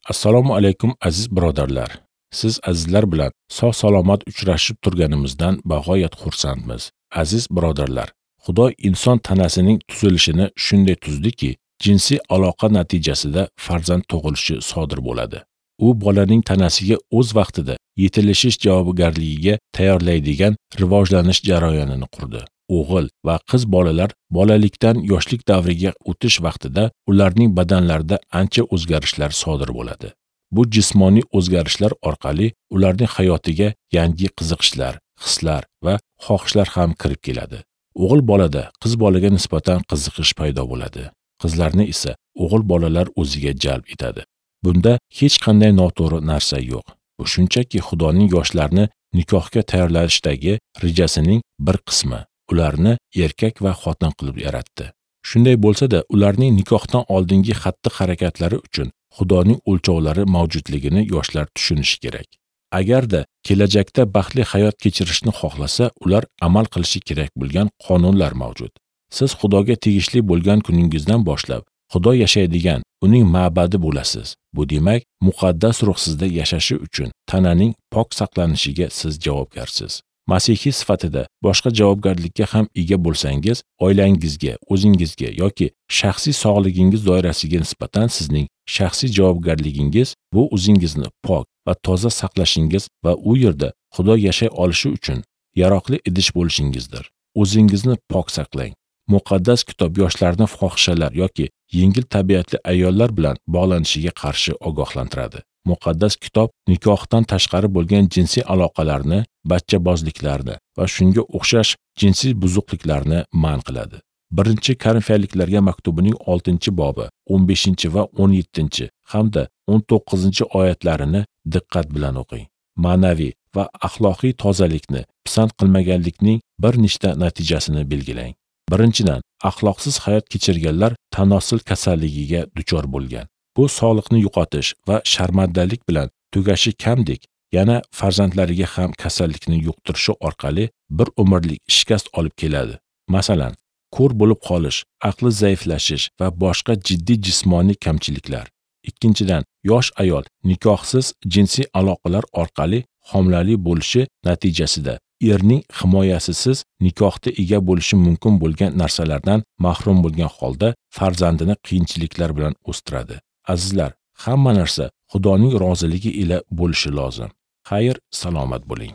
Assalomu alaykum aziz birodarlar. Siz azizlar bilan sog' salomat uchrashib turganimizdan bag'oyat xursandmiz. Aziz birodarlar, Xudo inson tanasining tuzilishini shunday tuzdiki, jinsiy aloqa natijasida farzand tug'ilishi sodir bo'ladi. U bolaning tanasiga o'z vaqtida yetilishish javobgarligiga tayyorlaydigan rivojlanish jarayonini qurdi. O'g'il va qiz bolalar bolalikdan yoshlik davriga o'tish vaqtida ularning badanlarida ancha o'zgarishlar sodir bo'ladi. Bu jismoniy o'zgarishlar orqali ularning hayotiga yangi qiziqishlar, hislar va xohishlar ham kirib keladi. O'g'il bolada qiz bolaga nisbatan qiziqish paydo bo'ladi. Qizlarni esa o'g'il bolalar o'ziga jalb etadi. Bunda hech qanday noto'g'ri narsa yo'q. Bu shunchaki Xudoning yoshlarni nikohga tayyorlashdagi rejasining bir qismi. Ularni erkak va xotin qilib yaratdi. Shunday bo'lsa-da, ularning nikohdan oldingi xatti-harakatlari uchun Xudoning o'lchovlari mavjudligini yoshlar tushunishi kerak. Agarda kelajakda baxtli hayot kechirishni xohlasa, ular amal qilishi kerak bo'lgan qonunlar mavjud. Siz Xudoga tegishli bo'lgan kuningizdan boshlab Xudo yashaydigan uning ma'badi bo'lasiz. Bu demak, muqaddas ruh sizda yashashi uchun tananing pok saqlanishiga siz javobgarsiz. Masihiy sifatida boshqa javobgarlikka ham ega bo'lsangiz, oilangizga, o'zingizga yoki shaxsiy sog'ligingiz doirasiga nisbatan sizning shaxsiy javobgarligingiz bu o'zingizni pok va toza saqlashingiz va u yerda Xudo yashay olishi uchun yaroqli idish bo'lishingizdir. O'zingizni pok saqlang. Muqaddas kitob yoshlarni fohishalar yoki yengil tabiatli ayollar bilan bog'lanishiga qarshi ogohlantiradi. Muqaddas kitob nikohdan tashqari bo'lgan jinsiy aloqalarni, bachchabozliklarni va shunga o'xshash jinsiy buzuqliklarni man qiladi. 1-Korinfiyliklarga maktubining 6-bobi, 15 va 17 hamda 19-oyatlarini diqqat bilan o'qing. Ma'naviy va axloqiy tozalikni pisand qilmaganlikning bir nechta natijasini belgilang. Birinchidan, axloqsiz hayot kechirganlar tanosil kasalligiga duchor bo'lgan. Bu sog'liqni yo'qotish va sharmandalik bilan tugashi kamdek, yana farzandlariga ham kasallikni yuqtirishi orqali bir umrlik shikast olib keladi. Masalan, ko'r bo'lib qolish, aqli zaiflashish va boshqa jiddiy jismoniy kamchiliklar. Ikkinchidan, yosh ayol nikohsiz jinsiy aloqalar orqali homilali bo'lishi natijasida erning himoyasisiz nikohda ega bo'lishi mumkin bo'lgan narsalardan mahrum bo'lgan holda farzandini qiyinchiliklar bilan o'stiradi. Azizlar, hamma narsa Xudoning roziligi ila bo'lishi lozim. Xayr, salomat bo'ling.